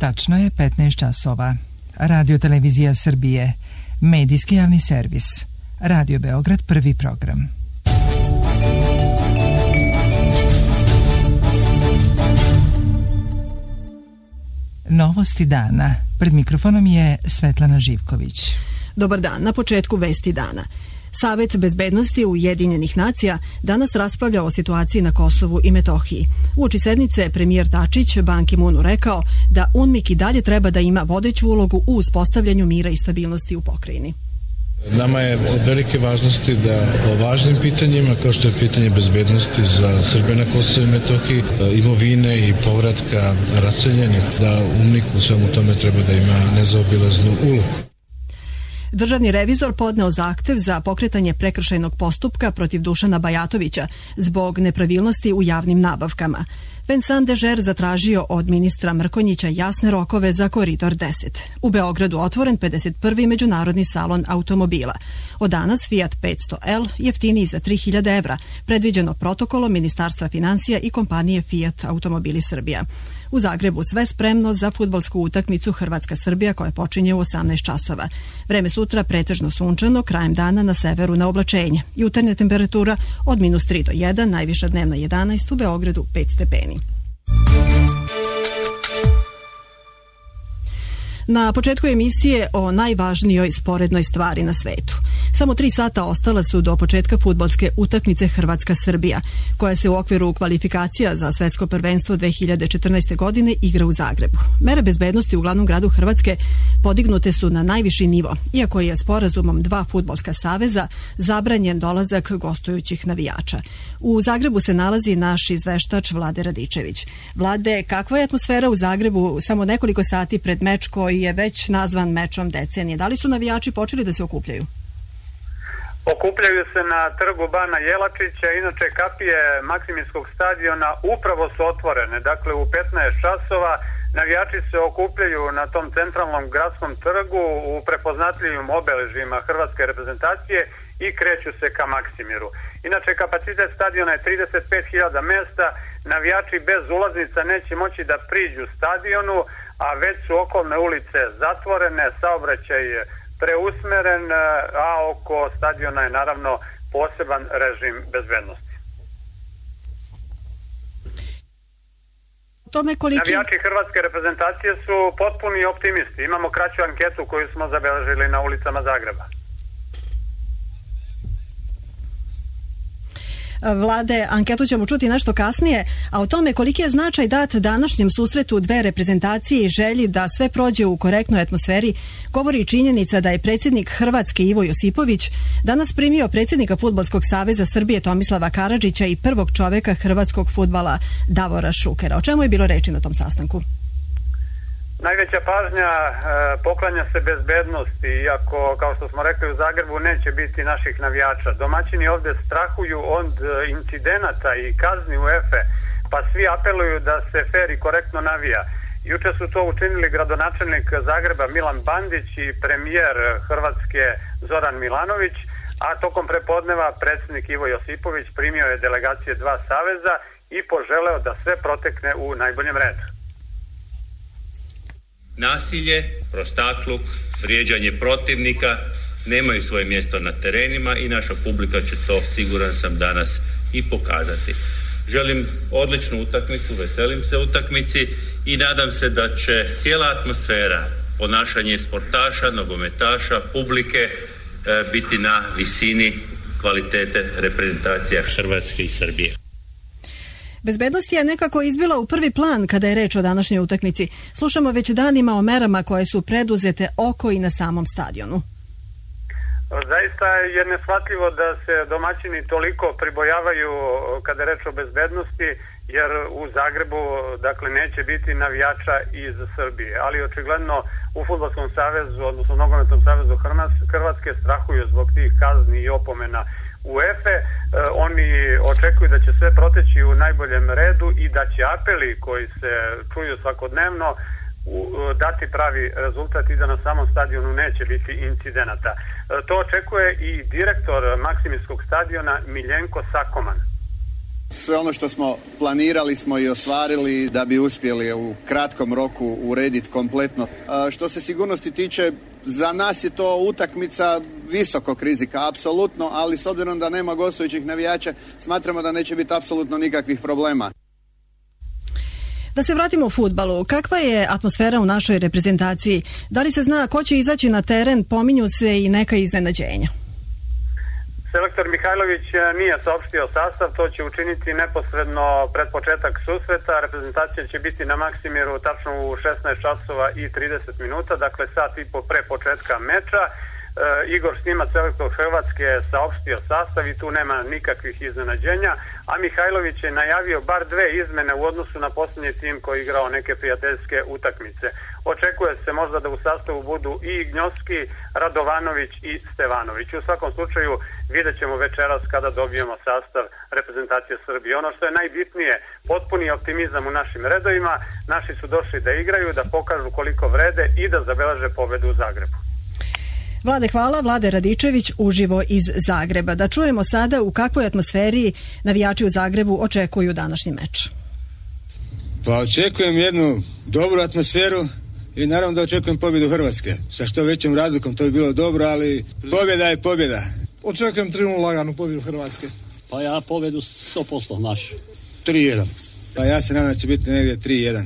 Tačno je 15 časova. Radio Televizija Srbije, medijski javni servis. Radio Beograd, prvi program. Novosti dana. Pred mikrofonom je Svetlana Živković. Dobar dan, na početku vesti dana. Savet bezbednosti Ujedinjenih nacija danas raspravlja o situaciji na Kosovu i Metohiji. Uoči sednice premijer Dačić Ban Ki-moonu rekao da UNMIK i dalje treba da ima vodeću ulogu u uspostavljanju mira i stabilnosti u pokrajini. Nama je od velike važnosti da o važnim pitanjima, kao što je pitanje bezbednosti za Srbe na Kosovu i Metohiji, imovine i povratka raseljenih, da UNMIK u svemu tome treba da ima nezaobilaznu ulogu. Državni revizor podneo zahtev za pokretanje prekršajnog postupka protiv Dušana Bajatovića zbog nepravilnosti u javnim nabavkama. Vincent Dežer zatražio od ministra Mrkonjića jasne rokove za Koridor 10. U Beogradu otvoren 51. međunarodni salon automobila. Od danas Fiat 500L jeftiniji za 3.000 evra, predviđeno protokolom Ministarstva financija i kompanije Fiat Automobili Srbija. U Zagrebu sve spremno za fudbalsku utakmicu Hrvatska-Srbija koja počinje u 18 časova. Vreme sutra pretežno sunčano, krajem dana na severu na oblačenje. Jutarnja temperatura od -3 do 1, najviša dnevna 11, u Beogradu 5 stepeni. Na početku emisije o najvažnijoj sporednoj stvari na svetu. Samo 3 sata ostala su do početka fudbalske utakmice Hrvatska-Srbija, koja se u okviru kvalifikacija za svetsko prvenstvo 2014. godine igra u Zagrebu. Mere bezbednosti u glavnom gradu Hrvatske podignute su na najviši nivo, iako je sporazumom 2 fudbalska saveza zabranjen dolazak gostujućih navijača. U Zagrebu se nalazi naš izveštač Vlade Radičević. Vlade, kakva je atmosfera u Zagrebu samo nekoliko sati pred meč koji je već nazvan mečom decenije? Da li su navijači počeli da se okupljaju? Okupljaju se na trgu Bana Jelačića, inače kapije Maksimirskog stadiona upravo su otvorene. Dakle, u 15 časova navijači se okupljaju na tom centralnom gradskom trgu u prepoznatljivim obeležjima hrvatske reprezentacije i kreću se ka Maksimiru. Inače, kapacitet stadiona je 35.000 mesta, navijači bez ulaznica neće moći da priđu stadionu, a već su okolne ulice zatvorene, saobraćaj je preusmeren, a oko stadiona je naravno poseban režim bezbednosti. Navijači hrvatske reprezentacije su potpuni optimisti. Imamo kraću anketu koju smo zabeležili na ulicama Zagreba. Vlade, anketu ćemo čuti nešto kasnije, a o tome koliki je značaj dat današnjem susretu dve reprezentacije i želji da sve prođe u korektnoj atmosferi, govori i činjenica da je predsjednik Hrvatske Ivo Josipović danas primio predsjednika Fudbalskog saveza Srbije Tomislava Karadžića i prvog čoveka hrvatskog fudbala Davora Šukera. O čemu je bilo reči na tom sastanku? Najveća pažnja poklanja se bezbednosti, iako, kao što smo rekli, u Zagrebu neće biti naših navijača. Domaćini ovdje strahuju od incidenata i kazni UEFA, pa svi apeluju da se fer i korektno navija. Juče su to učinili gradonačelnik Zagreba Milan Bandić i premijer Hrvatske Zoran Milanović, a tokom prepodneva predsjednik Ivo Josipović primio je delegacije 2 saveza i poželeo da sve protekne u najboljem redu. Nasilje, prostakluk, vrijeđanje protivnika nemaju svoje mjesto na terenima i naša publika će to, siguran sam, danas i pokazati. Želim odličnu utakmicu, veselim se utakmici i nadam se da će cijela atmosfera, ponašanje sportaša, nogometaša, publike biti na visini kvalitete reprezentacija Hrvatske i Srbije. Bezbednost je nekako izbila u prvi plan kada je reč o današnjoj utakmici. Slušamo već danima o merama koje su preduzete oko i na samom stadionu. Zaista je neshvatljivo da se domaćini toliko pribojavaju kada je reč o bezbednosti, jer u Zagrebu dakle neće biti navijača iz Srbije, ali očigledno u Fudbalskom savezu, odnosno Nogometnom savezu Hrvatske strahuju zbog tih kazni i opomena UEFA. Oni očekuju da će sve proteći u najboljem redu i da će apeli koji se čuju svakodnevno dati pravi rezultat i da na samom stadionu neće biti incidenata. To očekuje i direktor Maksimirskog stadiona Miljenko Sakoman. Sve ono što smo planirali smo i ostvarili da bi uspjeli u kratkom roku urediti kompletno. Što se sigurnosti tiče, za nas je to utakmica visokog rizika, apsolutno, ali s obzirom da nema gostujućih navijača, smatramo da neće biti apsolutno nikakvih problema. Da se vratimo u fudbalu, kakva je atmosfera u našoj reprezentaciji? Da li se zna ko će izaći na teren, pominju se i neka iznenađenja? Selektor Mihajlović nije saopštio sastav, to će učiniti neposredno pred početak susreta. Reprezentacija će biti na Maksimiru tačno u 16 časova i 30 minuta, dakle sat i po pre početka meča. Igor Stimac, selektor Hrvatske, je saopštio sastav i tu nema nikakvih iznenađenja, a Mihajlović je najavio bar 2 izmene u odnosu na posljednji tim koji je igrao neke prijateljske utakmice. Očekuje se možda da u sastavu budu i Ignjoski, Radovanović i Stevanović. U svakom slučaju vidjet ćemo večeras kada dobijemo sastav reprezentacije Srbije. Ono što je najbitnije, potpuni optimizam u našim redovima, naši su došli da igraju, da pokažu koliko vrede i da zabeleže pobedu u Zagrebu. Vlade, hvala. Vlade Radičević uživo iz Zagreba. Da čujemo sada u kakvoj atmosferi navijači u Zagrebu očekuju današnji meč. Pa očekujem jednu dobru atmosferu i naravno da očekujem pobjedu Hrvatske. Sa što većim razlikom to bi bilo dobro, ali pobjeda je pobjeda. Očekujem 3-0 laganu pobjedu Hrvatske. Pa ja pobjedu 100% naš. 3-1. Pa ja se nadam da će biti negdje 3-1.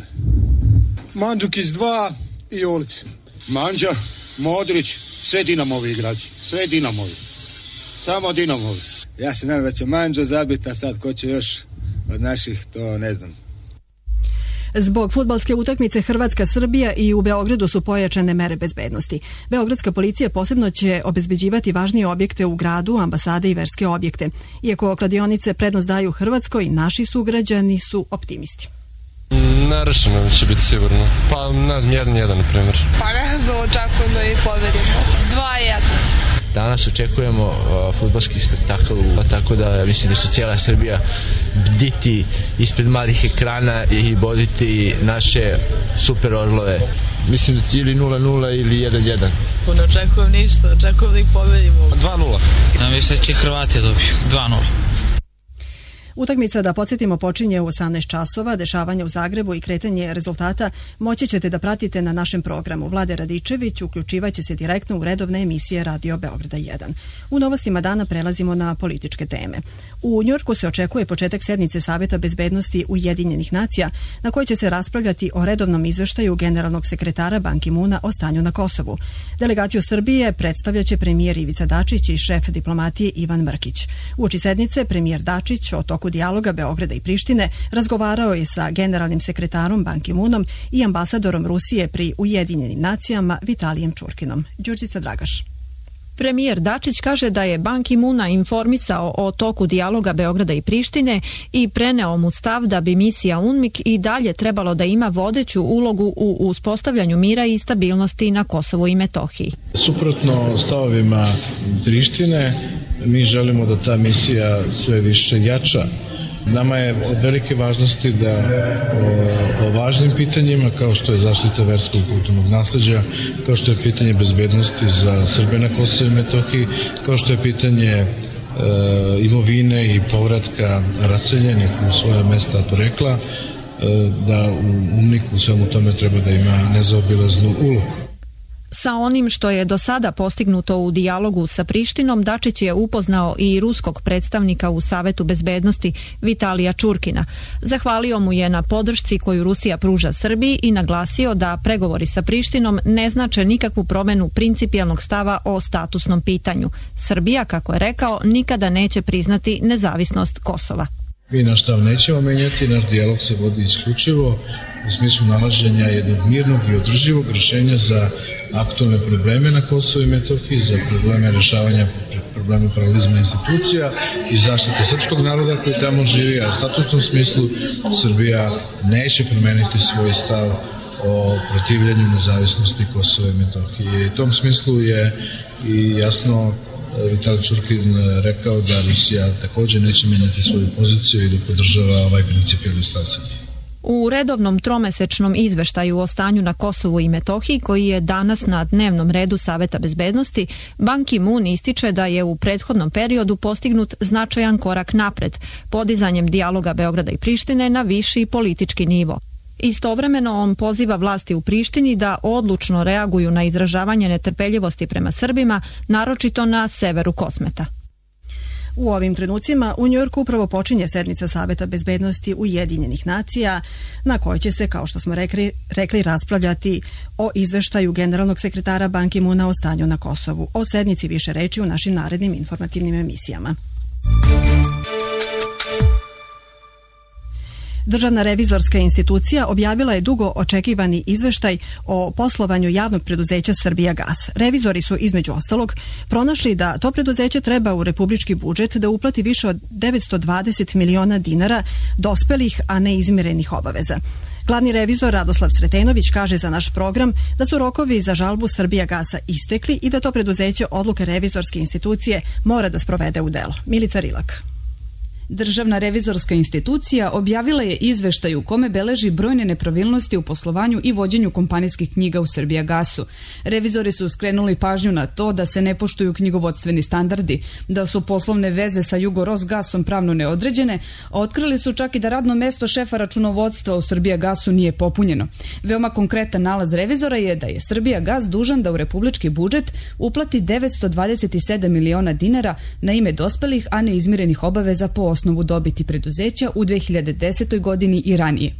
Mandžukić 2 i Olić. Mandža, Modrić, sve Dinamovi igrači. Sve Dinamovi. Samo Dinamovi. Ja se nadam da će Mandžo zabiti, a sad ko će još od naših, to ne znam. Zbog fudbalske utakmice Hrvatska-Srbija i u Beogradu su pojačane mere bezbednosti. Beogradska policija posebno će obezbeđivati važnije objekte u gradu, ambasade i verske objekte. Iako kladionice prednost daju Hrvatskoj, naši sugrađani su optimisti. Nerešeno će biti sigurno. Pa ne znam, 1-1 na primjer. Pa ne znam, očekujem da ih pobedimo. 2-1. Danas očekujemo fudbalski spektakl, tako da mislim da će cijela Srbija bditi ispred malih ekrana i boditi naše super orlove. Mislim da ili 0-0 ili 1-1. Ne očekujem ništa, očekujem da ih pobedimo. 2-0. Ja mislim da će Hrvati dobiti 2-0. Utakmica, da podsjetimo, počinje u 18 časova. Dešavanja u Zagrebu i kretanje rezultata moći ćete da pratite na našem programu. Vlade Radičević uključivaće se direktno u redovne emisije Radio Beograda 1. U novostima dana prelazimo na političke teme. U Njujorku se očekuje početak sednice Saveta bezbednosti Ujedinjenih nacija, na kojoj će se raspravljati o redovnom izveštaju generalnog sekretara Ban Ki-moona o stanju na Kosovu. Delegaciju Srbije predstavljaće premijer Ivica Dačić i šef diplomatije Ivan Mrkić. Uoči sednice premijer Dačić o toku dijaloga Beograda i Prištine razgovarao je sa generalnim sekretarom Ban Ki-moonom i ambasadorom Rusije pri Ujedinjenim nacijama Vitalijem Čurkinom. Đurđica Dragaš. Premijer Dačić kaže da je Ban Ki-moona informisao o toku dijaloga Beograda i Prištine i preneo mu stav da bi misija UNMIK i dalje trebalo da ima vodeću ulogu u uspostavljanju mira i stabilnosti na Kosovu i Metohiji. Suprotno stavovima Prištine, mi želimo da ta misija sve više jača. Nama je od velike važnosti da o važnim pitanjima, kao što je zaštita verskog i kulturnog nasleđa, kao što je pitanje bezbednosti za Srbe na Kosovu i Metohiji, kao što je pitanje imovine i povratka raseljenih u svoje mesta porekla, da u UNMIK-u svemu tome treba da ima nezaobilaznu ulogu. Sa onim što je do sada postignuto u dijalogu sa Prištinom, Dačić je upoznao i ruskog predstavnika u Savetu bezbednosti Vitalija Čurkina. Zahvalio mu je na podršci koju Rusija pruža Srbiji i naglasio da pregovori sa Prištinom ne znače nikakvu promenu principijelnog stava o statusnom pitanju. Srbija, kako je rekao, nikada neće priznati nezavisnost Kosova. Mi naš stav nećemo menjati, naš dijalog se vodi isključivo u smislu nalaženja jednog mirnog i održivog rješenja za aktualne probleme na Kosovu i Metohiji, za probleme rješavanja problema pluralizma institucija i zaštite srpskog naroda koji tamo živi, a u statusnom smislu Srbija neće promeniti svoj stav o protivljenju nezavisnosti Kosova i Metohije. U tom smislu je i jasno Vitalij Čurkin rekao da Rusija također neće mijenjati svoju poziciju i da podržava ovaj principijelni stav Srbije. U redovnom tromesečnom izveštaju o stanju na Kosovu i Metohiji, koji je danas na dnevnom redu Saveta bezbednosti, Ban Ki-moon ističe da je u prethodnom periodu postignut značajan korak napred, podizanjem dijaloga Beograda i Prištine na viši politički nivo. Istovremeno on poziva vlasti u Prištini da odlučno reaguju na izražavanje netrpeljivosti prema Srbima, naročito na severu Kosmeta. U ovim trenucima u Njujorku upravo počinje sednica Saveta bezbednosti Ujedinjenih nacija, na kojoj će se, kao što smo rekli, raspravljati o izveštaju generalnog sekretara Ban Ki-moona o stanju na Kosovu. O sednici više reči u našim narednim informativnim emisijama. Državna revizorska institucija objavila je dugo očekivani izveštaj o poslovanju javnog preduzeća Srbijagas. Revizori su, između ostalog, pronašli da to preduzeće treba u republički budžet da uplati više od 920 miliona dinara dospelih, a ne izmirenih obaveza. Glavni revizor Radoslav Sretenović kaže za naš program da su rokovi za žalbu Srbijagasa istekli i da to preduzeće odluke revizorske institucije mora da sprovede u delo. Milica Rilak. Državna revizorska institucija objavila je izveštaj u kome beleži brojne nepravilnosti u poslovanju i vođenju kompanijskih knjiga u Srbijagasu. Revizori su skrenuli pažnju na to da se ne poštuju knjigovodstveni standardi, da su poslovne veze sa Jugorosgasom pravno neodređene, a otkrili su čak i da radno mesto šefa računovodstva u Srbijagasu nije popunjeno. Veoma konkretan nalaz revizora je da je Srbijagas dužan da u republički budžet uplati 927 miliona dinara na ime dospelih, a neizmirenih obaveza po osnovu dobiti preduzeća u 2010. godini i ranije.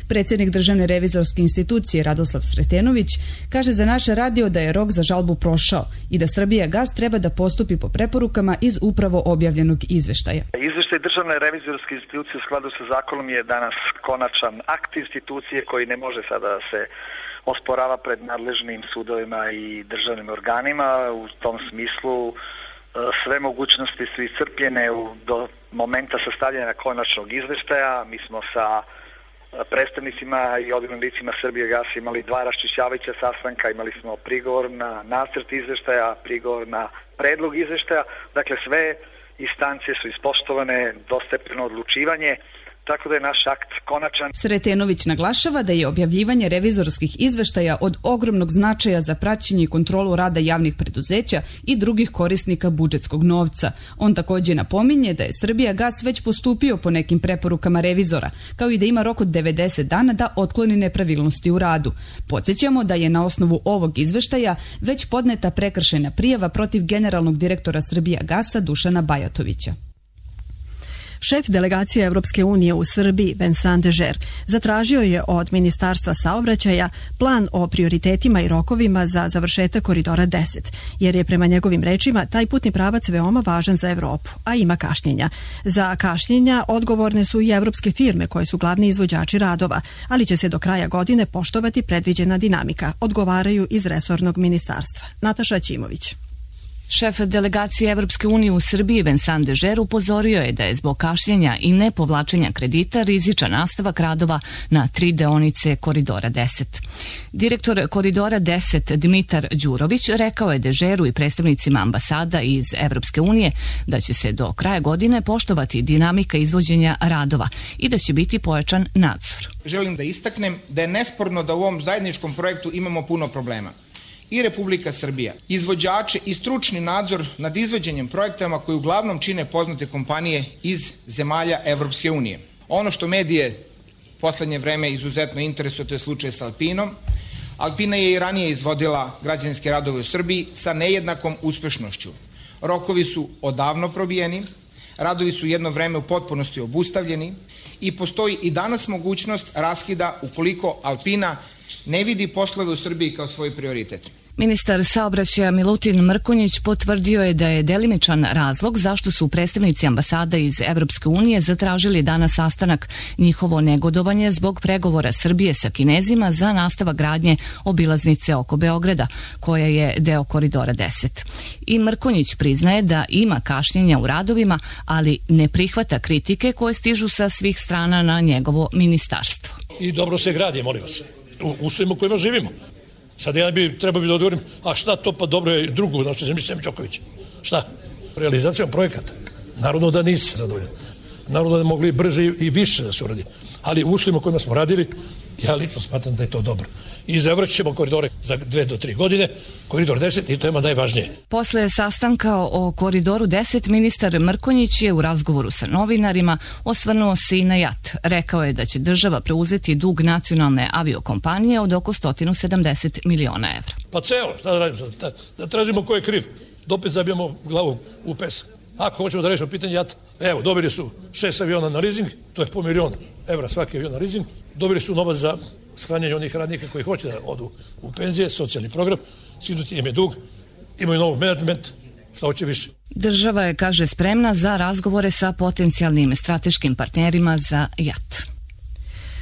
Predsjednik Državne revizorske institucije Radoslav Sretenović kaže za naš radio da je rok za žalbu prošao i da Srbijagas treba da postupi po preporukama iz upravo objavljenog izveštaja. Izveštaj Državne revizorske institucije u skladu sa zakonom je danas konačan akt institucije koji ne može sada da se osporava pred nadležnim sudovima i državnim organima. U tom smislu sve mogućnosti su iscrpljene do momenta sastavljanja konačnog izveštaja. Mi smo sa predstavnicima i odgovornim licima Srbijagasa imali 2 raščišćavajuća sastanka, imali smo prigovor na nacrt izveštaja, prigovor na predlog izveštaja. Dakle, sve instance su ispoštovane, dvostepeno odlučivanje, tako da je naš akt konačan. Sretenović naglašava da je objavljivanje revizorskih izveštaja od ogromnog značaja za praćenje i kontrolu rada javnih preduzeća i drugih korisnika budžetskog novca. On također napominje da je Srbijagas već postupio po nekim preporukama revizora, kao i da ima rok od 90 dana da otkloni nepravilnosti u radu. Podsjećamo da je na osnovu ovog izveštaja već podneta prekršajna prijava protiv generalnog direktora Srbijagasa Dušana Bajatovića. Šef delegacije Evropske unije u Srbiji, Vincent Dežer, zatražio je od Ministarstva saobraćaja plan o prioritetima i rokovima za završetak koridora 10, jer je prema njegovim rečima taj putni pravac veoma važan za Evropu, a ima kašnjenja. Za kašnjenja odgovorne su i evropske firme koje su glavni izvođači radova, ali će se do kraja godine poštovati predviđena dinamika, odgovaraju iz resornog ministarstva. Nataša Ćimović. Šef delegacije Evropske unije u Srbiji Vincent Dežer upozorio je da je zbog kašnjenja i nepovlačenja kredita rizičan nastavak radova na 3 deonice koridora 10. Direktor koridora 10 Dimitar Đurović rekao je Dežeru i predstavnicima ambasada iz Evropske unije da će se do kraja godine poštovati dinamika izvođenja radova i da će biti pojačan nadzor. Želim da istaknem da je nesporno da u ovom zajedničkom projektu imamo puno problema. I Republika Srbija, izvođače i stručni nadzor nad izvođenjem projektama koji uglavnom čine poznate kompanije iz zemalja Evropske unije. Ono što medije poslednje vreme izuzetno interesuje, to je slučaj sa Alpinom. Alpina je i ranije izvodila građevinske radove u Srbiji sa nejednakom uspešnošću. Rokovi su odavno probijeni, radovi su jedno vreme u potpunosti obustavljeni i postoji i danas mogućnost raskida ukoliko Alpina ne vidi poslove u Srbiji kao svoj prioritet. Ministar saobraćaja Milutin Mrkonjić potvrdio je da je delimičan razlog zašto su predstavnici ambasada iz Evropske unije zatražili danas sastanak njihovo negodovanje zbog pregovora Srbije sa Kinezima za nastavak gradnje obilaznice oko Beograda, koja je deo koridora 10. I Mrkonjić priznaje da ima kašnjenja u radovima, ali ne prihvata kritike koje stižu sa svih strana na njegovo ministarstvo. I dobro se gradi, molim vas, u uslovima u kojima živimo. Sad ja trebao bi da odgovorim, a šta to pa dobro je drugo, znači zemlji Sem Đoković. Šta? Realizacijom projekata. Naravno da nisam zadovoljan. Naravno da mogli brže i više da se uradi. Ali u uslovima kojima smo radili, ja lično smatram da je to dobro. I završit ćemo koridore za 2 do 3 godine, koridor 10 i to je najvažnije. Posle sastanka o koridoru 10, ministar Mrkonjić je u razgovoru sa novinarima osvrnuo se i na JAT. Rekao je da će država preuzeti dug nacionalne aviokompanije od oko 170 miliona evra. Pa ceo, šta da radimo? Da tražimo ko je kriv. Da opet zabijamo glavu u pesak. Ako hoćemo da rešimo pitanje JAT, evo, dobili su 6 aviona na leasing, to je po milion evra svaki avion na leasing, dobili su novac za shranjanje onih radnika koji hoće da odu u penzije, socijalni program, skinuti im je dug, imaju novog menadžment, šta hoće više. Država je, kaže, spremna za razgovore sa potencijalnim strateškim partnerima za JAT.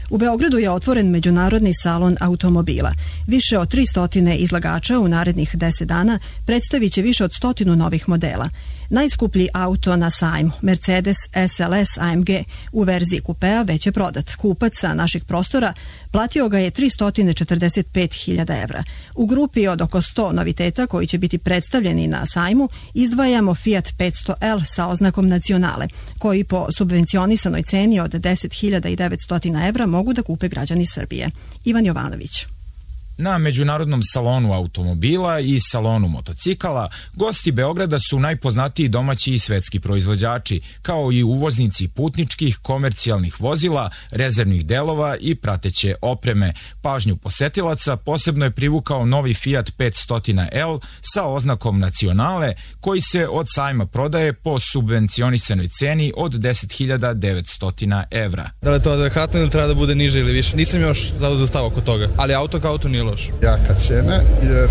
U Beogradu je otvoren međunarodni salon automobila. Više od 300 izlagača u narednih 10 dana predstavit će više od 100 novih modela. Najskuplji auto na sajmu, Mercedes SLS AMG, u verziji kupea već je prodat. Kupac sa naših prostora platio ga je 345.000 evra. U grupi od oko 100 noviteta koji će biti predstavljeni na sajmu izdvajamo Fiat 500L sa oznakom Nacionale, koji po subvencionisanoj ceni od 10.900 evra mogu da kupe građani Srbije. Ivan Jovanović. Na Međunarodnom salonu automobila i salonu motocikala gosti Beograda su najpoznatiji domaći i svetski proizvođači, kao i uvoznici putničkih, komercijalnih vozila, rezervnih delova i prateće opreme. Pažnju posetilaca posebno je privukao novi Fiat 500L sa oznakom Nacionale, koji se od sajma prodaje po subvencionisanoj ceni od 10.900 evra. Da li je to adekvatno ili treba da bude niže ili više? Nisam još zauzeo stav oko toga, ali auto kao auto nije loš. Jaka cena, jer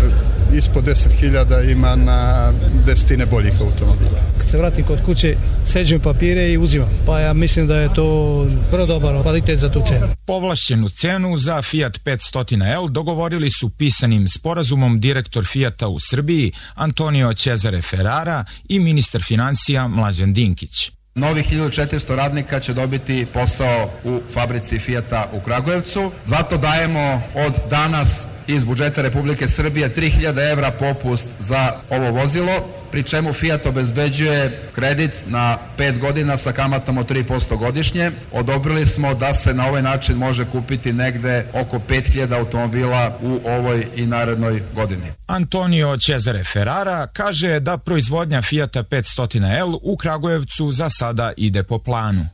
ispod 10.000 ima na desetine boljih automobila. Kad se vratim kod kuće, seđem papire i uzimam. Pa ja mislim da je to vrlo dobar kvalitet za tu cenu. Povlašćenu cenu za Fiat 500L dogovorili su pisanim sporazumom direktor Fiata u Srbiji Antonio Cesare Ferrara i ministar finansija Mlađan Dinkić. Novih 1400 radnika će dobiti posao u fabrici Fijata u Kragujevcu. Zato dajemo od danas iz budžeta Republike Srbije 3.000 evra popust za ovo vozilo, pri čemu Fiat obezbeđuje kredit na 5 godina sa kamatom od 3% godišnje. Odobrili smo da se na ovaj način može kupiti negde oko 5.000 automobila u ovoj i narednoj godini. Antonio Cesare Ferrara kaže da proizvodnja Fiata 500L u Kragujevcu za sada ide po planu.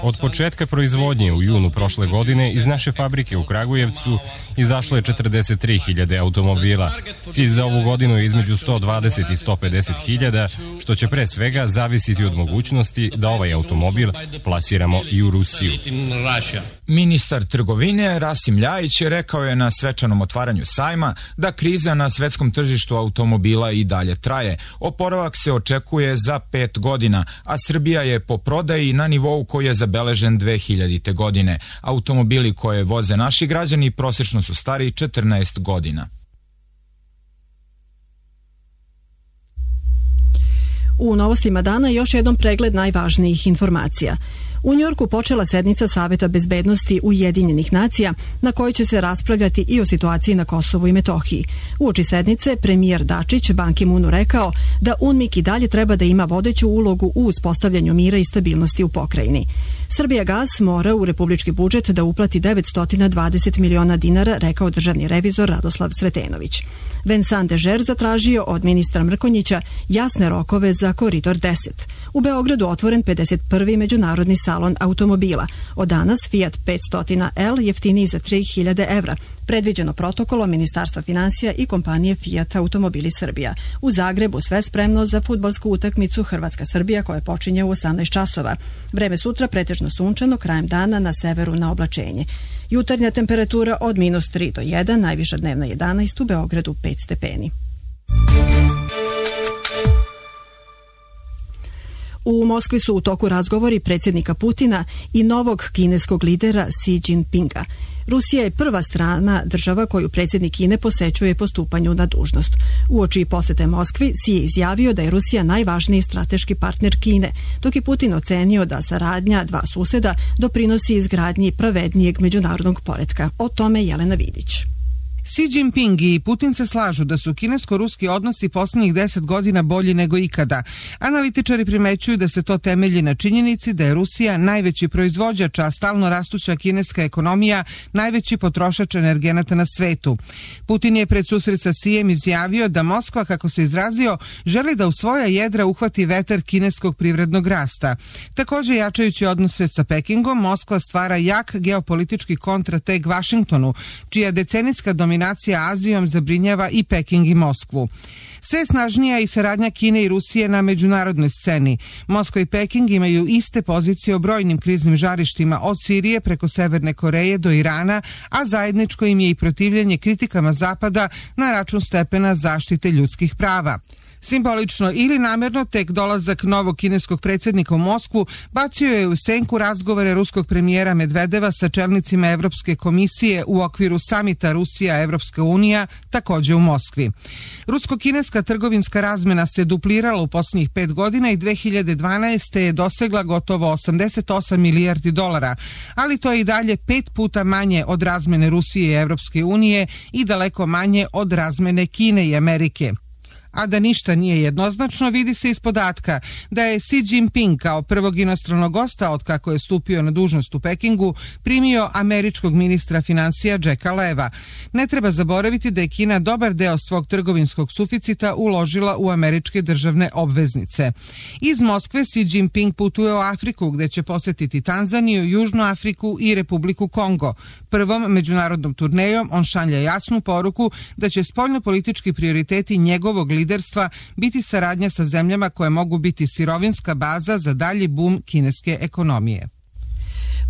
Od početka proizvodnje u junu prošle godine iz naše fabrike u Kragujevcu izašlo je 43.000 automobila. Cilj za ovu godinu je između 120 i 150.000, što će pre svega zavisiti od mogućnosti da ovaj automobil plasiramo i u Rusiju. Ministar trgovine Rasim Ljajić rekao je na svečanom otvaranju sajma da kriza na svetskom tržištu automobila i dalje traje. Oporavak se očekuje za 5 godina, a Srbija je po prodaji na nivou koji je zabeležen 2000. godine. Automobili koje voze naši građani prosečno su stari 14 godina. U novostima dana još jedan pregled najvažnijih informacija. U Njujorku počela sednica Saveta bezbednosti Ujedinjenih nacija na kojoj će se raspravljati i o situaciji na Kosovu i Metohiji. Uoči sednice premijer Dačić Ban Ki-moonu rekao da UNMIK i dalje treba da ima vodeću ulogu u uspostavljanju mira i stabilnosti u pokrajini. Srbijagas mora u republički budžet da uplati 920 miliona dinara, rekao državni revizor Radoslav Sretenović. Vincent Dežer zatražio od ministra Mrkonjića jasne rokove za koridor 10. U Beogradu otvoren 51. međunarodni salon automobila. Od danas Fiat 500L jeftiniji za 3.000 evra. Predviđeno protokolom Ministarstva finansija i kompanije Fiat Automobili Srbija. U Zagrebu sve spremno za fudbalsku utakmicu Hrvatska-Srbija koja počinje u 18 časova. Vreme sutra pretežno sunčano, krajem dana na severu na oblačenje. Jutarnja temperatura od -3 do 1, najviša dnevna 11, u Beogradu 5 stepeni. U Moskvi su u toku razgovori predsjednika Putina i novog kineskog lidera Xi Jinpinga. Rusija je prva strana država koju predsjednik Kine posećuje po stupanju na dužnost. Uoči posete Moskvi, Xi je izjavio da je Rusija najvažniji strateški partner Kine, dok je Putin ocenio da saradnja dva suseda doprinosi izgradnji pravednijeg međunarodnog poretka. O tome Jelena Vidić. Xi Jinping i Putin se slažu da su kinesko-ruski odnosi poslednjih 10 godina bolji nego ikada. Analitičari primećuju da se to temelji na činjenici da je Rusija najveći proizvođač, a stalno rastuća kineska ekonomija najveći potrošač energenata na svetu. Putin je pred susret sa Xijem izjavio da Moskva, kako se izrazio, želi da u svoja jedra uhvati vetar kineskog privrednog rasta. Takođe, jačajući odnose sa Pekingom, Moskva stvara jak geopolitički kontrateg Vašingtonu, čija decenijska dominacija Azijom zabrinjava i Peking i Moskvu. Sve snažnija i saradnja Kine i Rusije na međunarodnoj sceni. Moskva i Peking imaju iste pozicije o brojnim kriznim žarištima od Sirije preko Severne Koreje do Irana, a zajedničko im je i protivljenje kritikama Zapada na račun stepena zaštite ljudskih prava. Simbolično ili namerno, tek dolazak novog kineskog predsjednika u Moskvu bacio je u senku razgovore ruskog premijera Medvedeva sa čelnicima Evropske komisije u okviru samita Rusija-Evropska unija, takođe u Moskvi. Rusko-kineska trgovinska razmena se duplirala u posljednjih 5 godina i 2012. je dosegla gotovo 88 milijardi dolara, ali to je i dalje 5 puta manje od razmene Rusije i Evropske unije i daleko manje od razmene Kine i Amerike. A da ništa nije jednoznačno vidi se iz podatka da je Xi Jinping kao prvog inostranog gosta od kako je stupio na dužnost u Pekingu primio američkog ministra financija Jacka Leva. Ne treba zaboraviti da je Kina dobar deo svog trgovinskog suficita uložila u američke državne obveznice. Iz Moskve Xi Jinping putuje u Afriku gde će posetiti Tanzaniju, Južnu Afriku i Republiku Kongo. Prvom međunarodnom turnejom on šalje jasnu poruku da će spoljnopolitički prioriteti njegovog liderstva biti saradnja sa zemljama koje mogu biti sirovinska baza za dalji bum kineske ekonomije.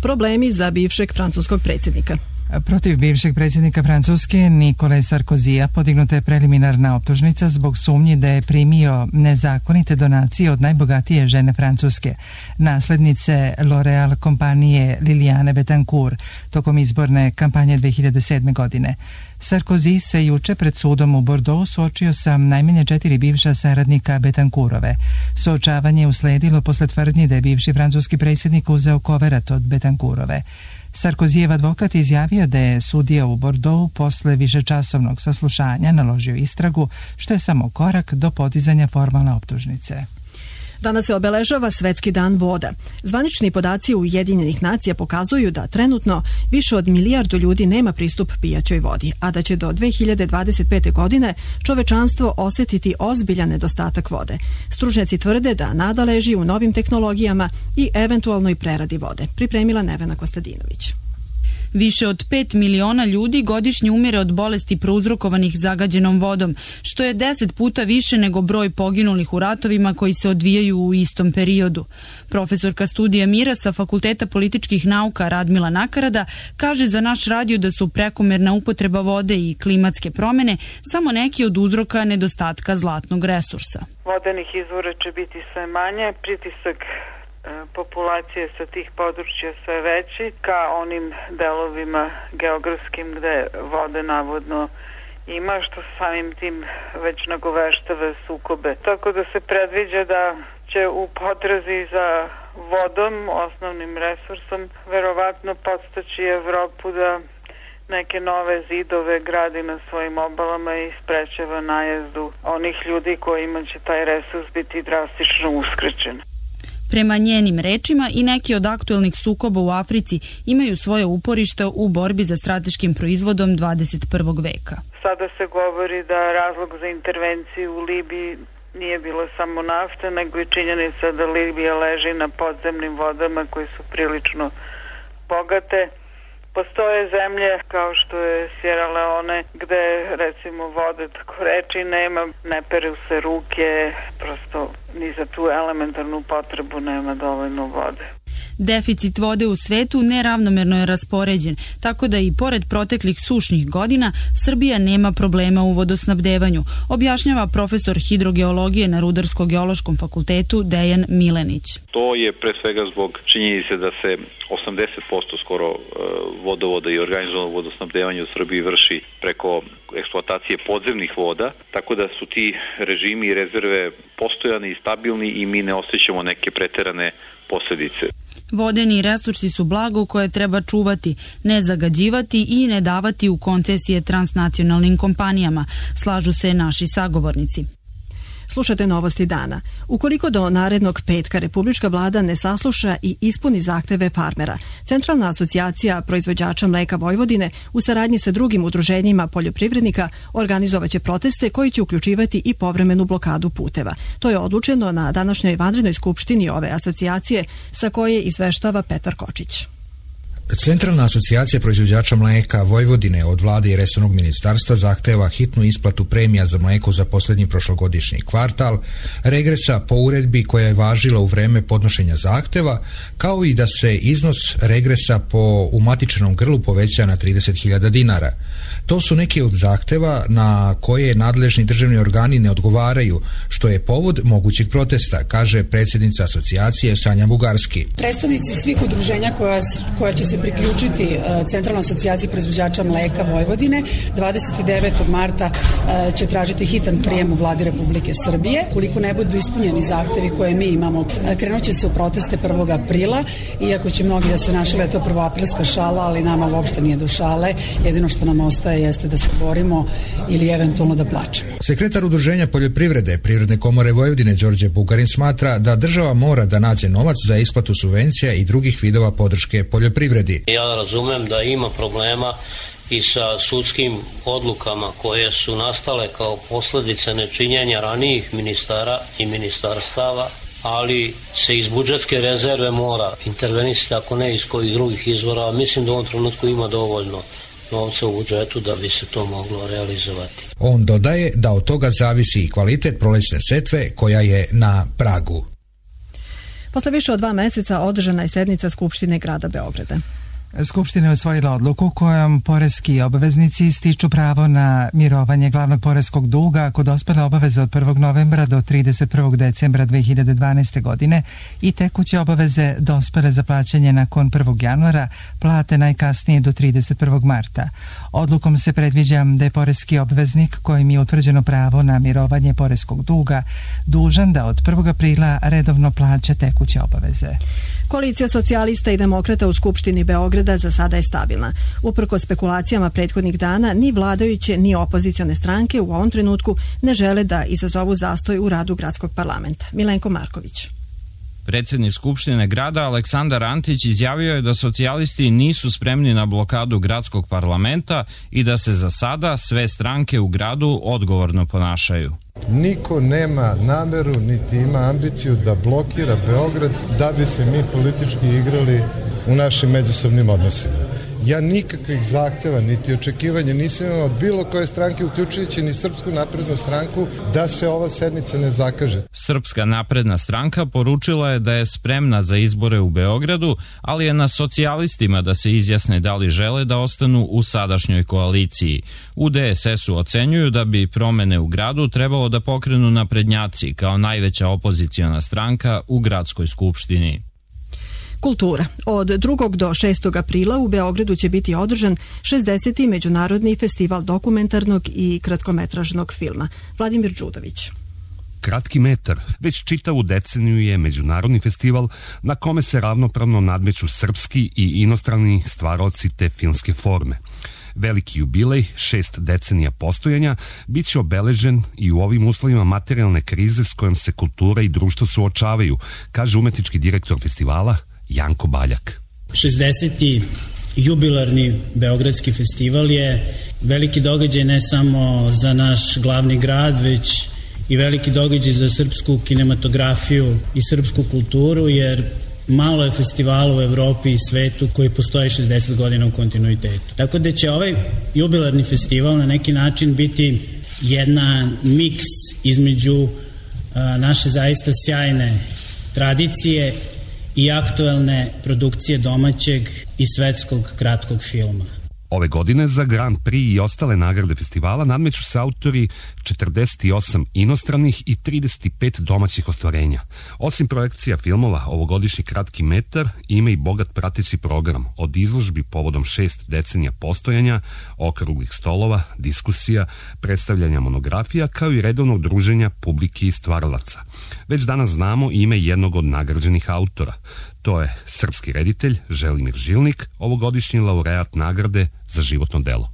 Problemi za bivšeg francuskog predsjednika. Protiv bivšeg predsjednika Francuske Nikole Sarkozija podignuta je preliminarna optužnica zbog sumnji da je primio nezakonite donacije od najbogatije žene Francuske, naslednice L'Oreal kompanije Liliane Bettencourt, tokom izborne kampanje 2007. godine. Sarkozy se juče pred sudom u Bordeaux suočio sa najmanje 4 bivša saradnika Bettencourtove. Suočavanje je usledilo posle tvrdnji da je bivši francuski predsjednik uzeo koverat od Bettencourtove. Sarkozijev advokat izjavio da je sudija u Bordeaux posle višečasovnog saslušanja naložio istragu, što je samo korak do podizanja formalne optužnice. Danas se obeležava Svetski dan voda. Zvanični podaci Ujedinjenih nacija pokazuju da trenutno više od 1 milijardu ljudi nema pristup pijaćoj vodi, a da će do 2025. godine čovečanstvo osjetiti ozbiljan nedostatak vode. Stručnjaci tvrde da nada leži u novim tehnologijama i eventualnoj preradi vode. Pripremila Nevena Kostadinović. Više od 5 miliona ljudi godišnje umire od bolesti prouzrokovanih zagađenom vodom, što je 10 puta više nego broj poginulih u ratovima koji se odvijaju u istom periodu. Profesorka studija mira sa Fakulteta političkih nauka Radmila Nakarada kaže za naš radio da su prekomerna upotreba vode i klimatske promene samo neki od uzroka nedostatka zlatnog resursa. Vodenih izvora će biti sve manje, pritisak populacije sa tih područja sve veći ka onim delovima geografskim gde vode navodno ima, što samim tim već nagoveštava sukobe. Tako da se predviđa da će u potrazi za vodom, osnovnim resursom, verovatno podstaći Evropu da neke nove zidove gradi na svojim obalama i sprečava najezdu onih ljudi kojima će taj resurs biti drastično uskraćen. Prema njenim rečima i neki od aktuelnih sukoba u Africi imaju svoje uporište u borbi za strateškim proizvodom 21. veka. Sada se govori da razlog za intervenciju u Libiji nije bilo samo nafta, nego i činjenica da Libija leži na podzemnim vodama koje su prilično bogate. Postoje zemlje kao što je Sierra Leone gde recimo vode tako reči nema, ne peru se ruke, prosto ni za tu elementarnu potrebu nema dovoljno vode. Deficit vode u svetu neravnomerno je raspoređen, tako da i pored proteklih sušnih godina Srbija nema problema u vodosnabdevanju, objašnjava profesor hidrogeologije na Rudarsko-geološkom fakultetu Dejan Milenić. To je pre svega zbog činjenice da se 80% skoro vodovoda i organizovanog vodosnabdevanja u Srbiji vrši preko eksploatacije podzemnih voda, tako da su ti režimi i rezerve postojani i stabilni i mi ne osjećamo neke preterane posledice. Vodeni resursi su blago koje treba čuvati, ne zagađivati i ne davati u koncesije transnacionalnim kompanijama, slažu se naši sagovornici. Slušate novosti dana. Ukoliko do narednog petka Republička vlada ne sasluša i ispuni zahteve farmera, Centralna asocijacija proizvođača mleka Vojvodine u saradnji sa drugim udruženjima poljoprivrednika organizovaće proteste koji će uključivati i povremenu blokadu puteva. To je odlučeno na današnjoj vanrednoj skupštini ove asocijacije, sa koje izveštava Petar Kočić. Centralna asocijacija proizvođača mleka Vojvodine od vlade i resornog ministarstva zahteva hitnu isplatu premija za mleko za posljednji prošlogodišnji kvartal, regresa po uredbi koja je važila u vreme podnošenja zahteva, kao i da se iznos regresa po umatičenom grlu poveća na 30.000 dinara. To su neki od zahteva na koje nadležni državni organi ne odgovaraju, što je povod mogućeg protesta, kaže predsjednica asocijacije Sanja Bugarski. Predstavnici svih udruženja koja će se priključiti Centralnoj asocijaciji proizvođača mleka Vojvodine 29. marta će tražiti hitan prijem u vladi Republike Srbije. Koliko ne budu ispunjeni zahtevi koje mi imamo, krenut će se u proteste 1. aprila, iako će mnogi da se našale to prvoaprilska šala, ali nama uopšte nije do šale. Jedino što nam ostaje jeste da se borimo ili eventualno da plačemo. Sekretar Udruženja poljoprivrede Privredne komore Vojvodine Đorđe Bugarin smatra da država mora da nađe novac za isplatu subvencija i drugih vidova podrške poljoprivredi. Ja razumem da ima problema i sa sudskim odlukama koje su nastale kao posljedice nečinjenja ranijih ministara i ministarstava, ali se iz budžetske rezerve mora intervenisati, ako ne iz kojih drugih izvora. Mislim da u ovom trenutku ima dovoljno novca u budžetu da bi se to moglo realizovati. On dodaje da od toga zavisi i kvalitet prolećne setve koja je na pragu. Posle više od 2 meseca održana je sednica Skupštine grada Beograda. Skupština je usvojila odluku kojom poreski obveznici stiču pravo na mirovanje glavnog poreskog duga ako dospele obaveze od 1. novembra do 31. decembra 2012. godine i tekuće obaveze dospele za plaćanje nakon 1. januara plate najkasnije do 31. marta. Odlukom se predviđa da je poreski obveznik kojim je utvrđeno pravo na mirovanje poreskog duga dužan da od 1. aprila redovno plaća tekuće obaveze. Koalicija socijalista i demokrata u Skupštini Beograda za sada je stabilna. Uprkos spekulacijama prethodnih dana, ni vladajuće ni opozicione stranke u ovom trenutku ne žele da izazovu zastoj u radu gradskog parlamenta. Milenko Marković. Predsjednik Skupštine grada Aleksandar Antić izjavio je da socijalisti nisu spremni na blokadu gradskog parlamenta i da se za sada sve stranke u gradu odgovorno ponašaju. Niko nema nameru niti ima ambiciju da blokira Beograd da bi se mi politički igrali u našim međusobnim odnosima. Ja nikakvih zahteva niti očekivanja nisam imao od bilo koje stranke, uključujući ni Srpsku naprednu stranku, da se ova sednica ne zakaže. Srpska napredna stranka poručila je da je spremna za izbore u Beogradu, ali je na socijalistima da se izjasne da li žele da ostanu u sadašnjoj koaliciji. U DSS-u ocenjuju da bi promene u gradu trebalo da pokrenu naprednjaci kao najveća opoziciona stranka u gradskoj skupštini. Kultura. Od 2. do 6. aprila u Beogradu će biti održan 60. Međunarodni festival dokumentarnog i kratkometražnog filma. Vladimir Đudović. Kratki metar već čitavu deceniju je međunarodni festival na kome se ravnopravno nadmeću srpski i inostrani stvaraoci te filmske forme. Veliki jubilej, 6 decenija postojanja, bit će obeležen i u ovim uslovima materijalne krize s kojom se kultura i društvo suočavaju, kaže umetnički direktor festivala Janko Baljak. 60. jubilarni Beogradski festival je veliki događaj ne samo za naš glavni grad, već i veliki događaj za srpsku kinematografiju i srpsku kulturu, jer malo je festivala u Evropi i svetu koji postoji 60 godina u kontinuitetu. Tako da će ovaj jubilarni festival na neki način biti jedna miks između naše zaista sjajne tradicije i aktuelne produkcije domaćeg i svetskog kratkog filma. Ove godine za Grand Prix i ostale nagrade festivala nadmeću se autori 48 inostranih i 35 domaćih ostvarenja. Osim projekcija filmova, ovogodišnji kratki metar ima i bogat prateći program od izložbi povodom 6 decenija postojanja, okruglih stolova, diskusija, predstavljanja monografija, kao i redovnog druženja publike i stvaralaca. Već danas znamo ime jednog od nagrađenih autora. To je srpski reditelj Želimir Žilnik, ovogodišnji laureat nagrade za životno delo.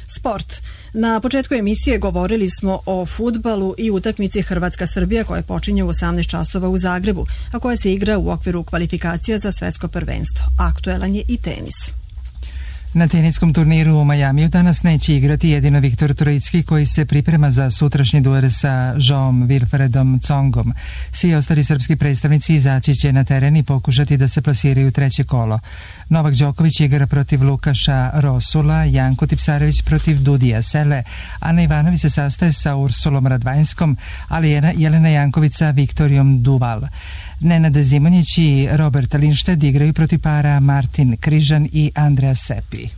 Sport. Na početku emisije govorili smo o fudbalu i utakmici Hrvatska-Srbija koja počinje u 18 časova u Zagrebu, a koja se igra u okviru kvalifikacija za svetsko prvenstvo. Aktuelan je i tenis. Na teniskom turniru u Majamiju danas neće igrati jedino Viktor Trojicki koji se priprema za sutrašnji duel sa Joom Wilfredom Tsongom. Svi ostali srpski predstavnici izaći će na teren i pokušati da se plasiraju u treće kolo. Novak Đoković igra protiv Lukaša Rosula, Janko Tipsarević protiv Dudija Sele, Ana Ivanović se sastaje sa Ursulom Radvanjskom, ali Jelena Janković sa Viktorijom Duval. Nenad Zimonjić i Robert Lindstedt igraju protiv para Martin Križan i Andrea Sepi.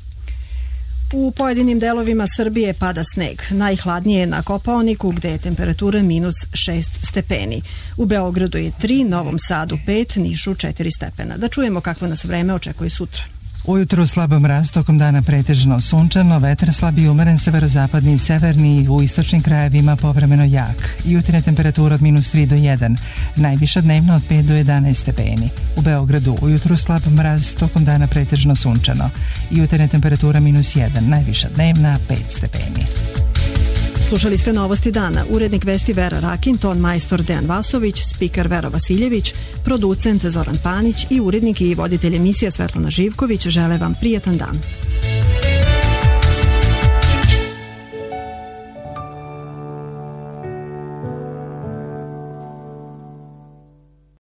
U pojedinim delovima Srbije pada sneg. Najhladnije je na Kopaoniku gde je temperatura -6 stepeni. U Beogradu je 3, Novom Sadu 5, Nišu 4 stepena. Da čujemo kakvo nas vreme očekuje sutra. Ujutro slabo mraz, tokom dana pretežno sunčano, vetar slab i umeren severozapadni i severni, u istočnim krajevima povremeno jak. Jutarnja temperatura od -3 do 1, najviša dnevna od 5 do 11 stepeni. U Beogradu ujutro slab mraz, tokom dana pretežno sunčano. Jutarnja temperatura -1, najviša dnevna 5 stepeni. Slušali ste Novosti dana. Urednik vesti Vera Rakin, ton majstor Dejan Vasović, spiker Vero Vasiljević, producent Zoran Panić i urednik i voditelj emisije Svetlana Živković žele vam prijatan dan.